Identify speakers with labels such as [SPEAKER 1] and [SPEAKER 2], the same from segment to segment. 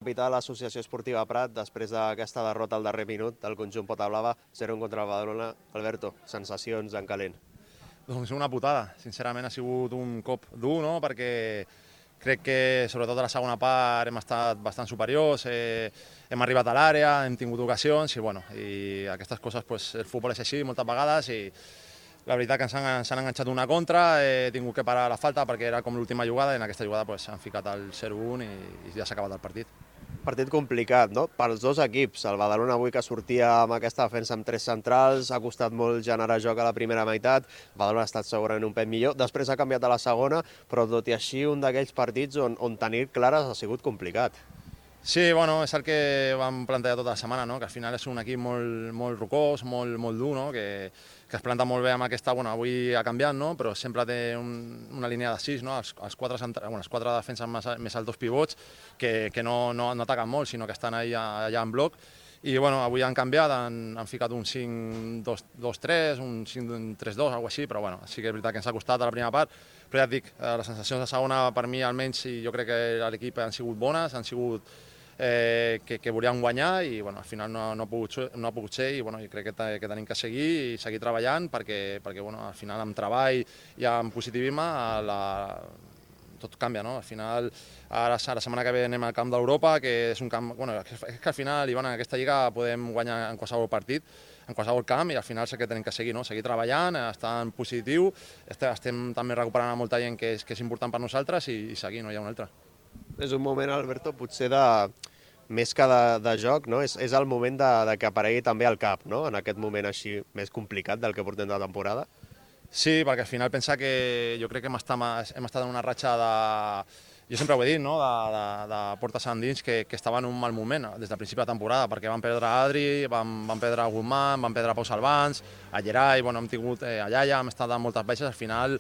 [SPEAKER 1] Capità de l'Associació Esportiva Prat, després d'aquesta derrota al darrer minut del conjunt Potablava, 0-1 contra el Badalona. Alberto, sensacions en calent?
[SPEAKER 2] Doncs una putada. Sincerament ha sigut un cop dur, no? Perquè crec que sobretot a la segona part hem estat bastant superiors, hem arribat a l'àrea, hem tingut ocasions i, bueno, i aquestes coses, pues, el futbol és així moltes vegades i la veritat que s'han enganxat una contra, he tingut que parar la falta perquè era com l'última jugada i en aquesta jugada pues, han ficat el 0-1 i ja s'ha acabat el partit.
[SPEAKER 1] Partit complicat, no?, pels dos equips. El Badalona avui que sortia amb aquesta defensa amb tres centrals, ha costat molt generar joc a la primera meitat, el Badalona ha estat segurament un pet millor, després ha canviat a la segona, però tot i així un d'aquells partits on tenir clares ha sigut complicat.
[SPEAKER 2] Sí, bueno, és el que vam plantejar tota la setmana, no? Que al final és un equip molt rocós, molt dur, no? Que es planta molt bé amb aquesta, bueno, avui ha canviat, no? Però sempre té una línia de 6, no? Els quatre defenses més els dos pivots que no ataquen molt, sinó que estan allà en bloc. I bueno, avui han canviat, han ficat un 5-2-3, un 5-3-2, alguna cosa així, però bueno, sí que és veritat que ens ha costat a la primera part, però ja et dic, les sensacions de segona per mi almenys, i jo crec que l'equip han sigut bones, han sigut que volíem guanyar i bueno, al final no ha pogut ser i bueno, jo crec que tenim que seguir i seguir treballant perquè bueno, al final amb treball i amb positivisme tot canvia, no? Al final, ara la setmana que ve anem al camp d'Europa, que és un camp... Bueno, és que al final, Ivan, en aquesta lliga podem guanyar en qualsevol partit, en qualsevol camp, i al final és que tenim que seguir, no? Seguir treballant, estar en positiu, estem també recuperant molta gent que és important per nosaltres i seguir, no hi ha un altre.
[SPEAKER 1] És un moment, Alberto, potser més que de joc, no? És el moment de que aparegui també el cap, no? En aquest moment així més complicat del que portem de la temporada.
[SPEAKER 2] Sí, perquè al final pensa que jo crec que hem estat en una ratxa de... Jo sempre ho he dit, no? de portes endins que estava en un mal moment des del principi de la temporada, perquè vam perdre Adri, vam perdre Guzmán, vam perdre Pau Salvans, a Gerai, bueno, hem tingut a Yaya, hem estat amb moltes baixes, al final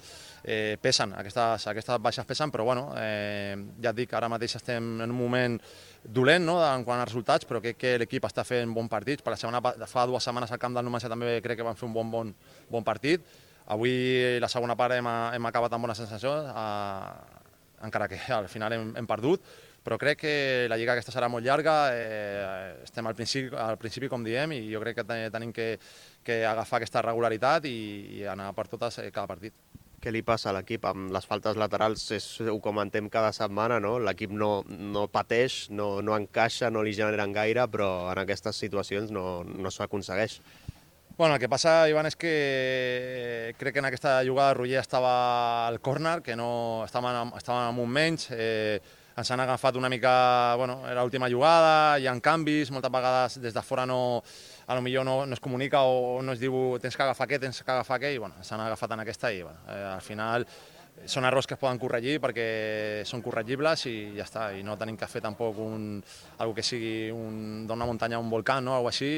[SPEAKER 2] pesen, aquestes baixes pesen, però bueno, ja et dic, ara mateix estem en un moment dolent, no?, en quant a resultats, però crec que l'equip està fent bons partits. Fa 2 setmanes al camp del Numancia també crec que van fer un bon partit. Avui la segona part hem acabat amb bones sensacions, encara que al final hem perdut, però crec que la lliga aquesta serà molt llarga, estem al principi com diem, i jo crec que tenim que agafar aquesta regularitat i anar per totes cada partit.
[SPEAKER 1] Què li passa a l'equip? Amb les faltes laterals ho comentem cada setmana, no? L'equip no pateix, no encaixa, no li generen gaire, però en aquestes situacions no s'aconsegueix.
[SPEAKER 2] Bueno, el que passa, Ivan, és que crec que en aquesta jugada Roger estava al córner, que no estàvem amb un menys, ens han agafat una mica, bueno, era l'última jugada, hi ha canvis, moltes vegades des de fora potser no es comunica o no es diu tens que agafar què, i bueno, s'han agafat en aquesta i bueno, al final són errors que es poden corregir perquè són corregibles i ja està, i no tenim que fer tampoc algo que sigui d'una muntanya a un volcà, no? Algo així,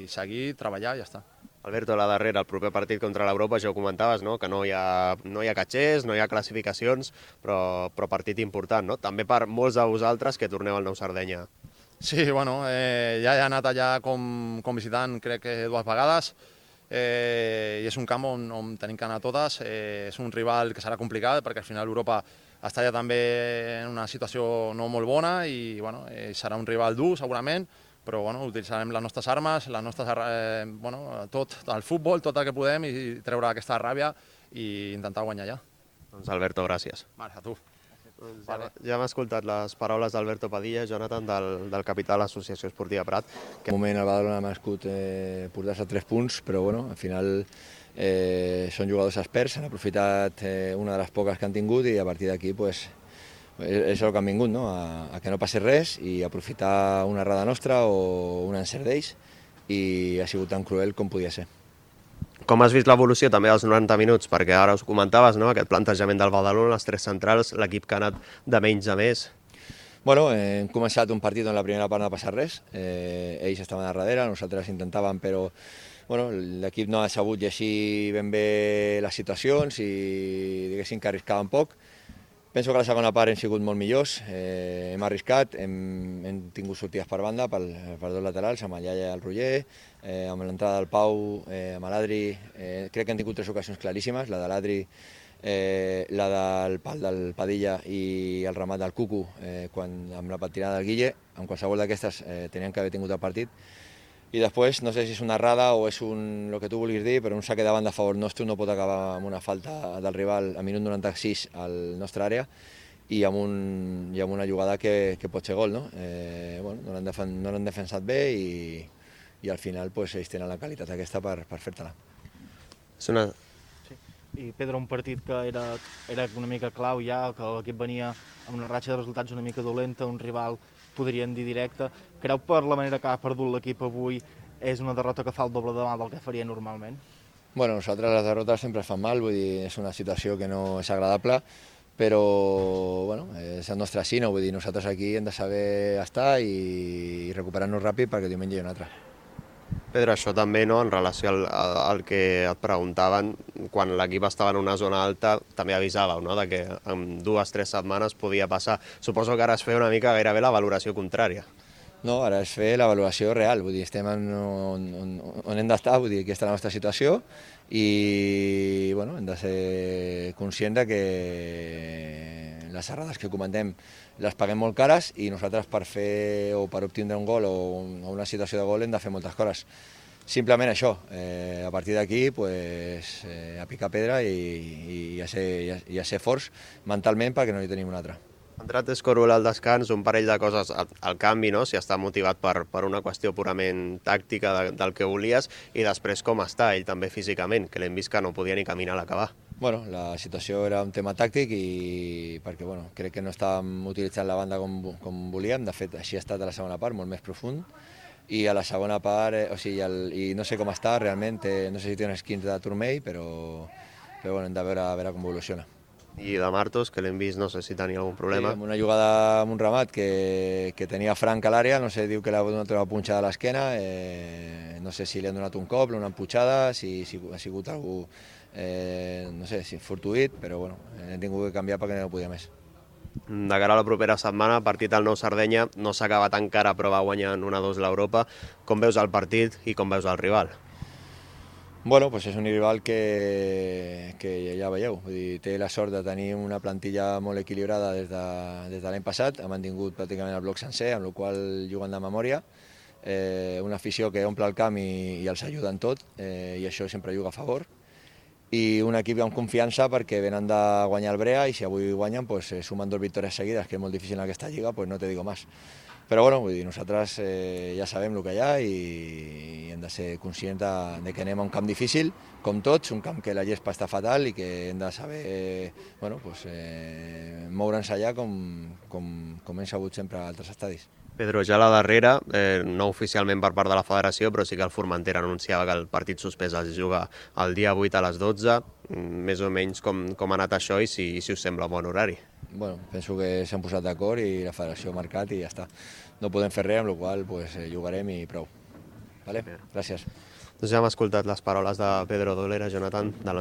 [SPEAKER 2] i seguir, treballar i ja està.
[SPEAKER 1] Alberto, la darrera, el proper partit contra l'Europa, ja ho comentaves, no? Que no hi ha catxers, no hi ha classificacions, però partit important, no? També per molts de vosaltres que torneu al Nou Sardenya.
[SPEAKER 2] Sí, bueno, ja he anat allà com visitant crec que 2 vegades, i és un camp on tenim que anar totes, és un rival que serà complicat perquè al final Europa està ja també en una situació no molt bona i bueno, serà un rival dur segurament, però bueno, utilitzarem les nostres armes, tot el futbol, tot el que podem i treure aquesta ràbia i intentar guanyar ja.
[SPEAKER 1] Doncs Alberto, gràcies.
[SPEAKER 2] Vale, a tu.
[SPEAKER 1] Ja hem escoltat les paraules d'Alberto Padilla, Jonathan, del capità de l'Associació Esportiva Prat.
[SPEAKER 3] En un moment el Badalona ha merescut portar-se 3 punts, però bueno, al final són jugadors experts, han aprofitat una de les poques que han tingut i a partir d'aquí pues, és el que han vingut, no? A que no passi res i aprofitar una errada nostra o un encert d'ells, i ha sigut tan cruel com podia ser.
[SPEAKER 1] Com has vist l'evolució també dels 90 minuts? Perquè ara us comentaves, no?, aquest plantejament del Badalona, les 3 centrals, l'equip que ha anat de menys a més.
[SPEAKER 3] Bueno, hem començat un partit on la primera part no ha passat res, ells estaven a darrere, nosaltres intentàvem, però bueno, l'equip no ha sabut llegir ben bé les situacions i diguéssim que arriscaven poc. Penso que a la segona part hem sigut molt millors, hem arriscat, hem tingut sortides per banda, per dos laterals, amb el Yaya i el Roger, amb l'entrada del Pau, amb l'Adri, crec que hem tingut 3 ocasions claríssimes, la de l'Adri, la del pal del Padilla i el remat del Cucu, amb la patinada del Guille, en qualsevol d'aquestes tenien que haver tingut el partit. I després, no sé si és una errada o és el que tu vulguis dir, però un saque de banda a favor nostre no pot acabar amb una falta del rival a minut 96 al nostra àrea i amb una jugada que pot ser gol, no? No l'han defensat bé i al final ells tenen la qualitat aquesta per fer-te-la.
[SPEAKER 4] I Pedro, un partit que era una mica clau ja, que l'equip venia amb una ratxa de resultats una mica dolenta, un rival, podríem dir, directe. Creu per la manera que ha perdut l'equip avui és una derrota que fa el doble de mal del que faria normalment?
[SPEAKER 3] Bueno, nosaltres les derrotes sempre fan mal, vull dir, és una situació que no és agradable, però bueno, és el nostre sino, vull dir, nosaltres aquí hem de saber estar i recuperar-nos ràpid perquè diumenge hi ha un altre.
[SPEAKER 1] Pedro, això també, no, en relació al que et preguntaven, quan l'equip estava en una zona alta, també avisàveu, no?, de que en 2 o 3 setmanes podia passar. Suposo que ara es feia una mica gairebé la valoració contrària.
[SPEAKER 3] No, ara és fer la valoració real, vull dir, estem on hem d'estar, vull dir, aquesta és la nostra situació i bueno, hem de ser conscients que les errades que comentem les paguem molt cares i nosaltres per fer o per obtindre un gol o una situació de gol hem de fer moltes coses. Simplement això, a partir d'aquí a picar pedra i a ser forts mentalment perquè no hi tenim una altra.
[SPEAKER 1] Ha entrat Escorul al descans, un parell de coses al canvi, no?, si està motivat per una qüestió purament tàctica del que volies, i després com està ell també físicament, que l'hem vist que no podia ni caminar a l'acabar.
[SPEAKER 3] Bueno, la situació era un tema tàctic i perquè crec que no estàvem utilitzant la banda com volíem, de fet així ha estat a la segona part, molt més profund, i a la segona part, i no sé com està realment, no sé si té uns 15 de turmell, però hem de veure com evoluciona.
[SPEAKER 1] I de Martos, que l'hem vist, no sé si tenia algun problema.
[SPEAKER 3] Sí, amb una jugada amb un ramat que tenia Frank a l'àrea, no sé, diu que l'ha donat una punxada a l'esquena, no sé si li han donat un cop, una emputxada, si ha sigut algú, no sé, si fortuït, però bueno, hem tingut que canviar perquè no podia més.
[SPEAKER 1] De cara a la propera setmana, partit al Nou Sardenya, no s'ha acabat encara, però va guanyar 1-2 l'Europa. Com veus el partit i com veus el rival?
[SPEAKER 3] Bueno, és un rival que ja veieu, vull dir, té la sort de tenir una plantilla molt equilibrada des de l'any passat, ha mantingut pràcticament el bloc sencer, amb la qual juguen de memòria, una afició que omple el camp i els ajuda en tot, i això sempre juga a favor, i un equip amb confiança perquè venen de guanyar el Brea i si avui guanyen sumen 2 victòries seguides, que és molt difícil en aquesta lliga, no te digo más. Però bueno, vull dir, nosaltres ja sabem el que hi ha i hem de ser conscients de que anem a un camp difícil, com tots, un camp que la gespa està fatal i que hem de saber moure'ns allà com hem sabut sempre a altres estadis.
[SPEAKER 1] Pedro, ja a la darrera, no oficialment per part de la federació, però sí que el Formentera anunciava que el partit suspès es juga el dia 8 a les 12, més o menys com ha anat això i si us sembla un bon horari.
[SPEAKER 3] Bueno, penso que s'han posat d'acord i la federació ha marcat i ja està. No podem fer res, amb la qual cosa jugarem i prou. Vale? Gràcies.
[SPEAKER 1] Doncs ja hem escoltat les paraules de Pedro Dolera, Jonathan, de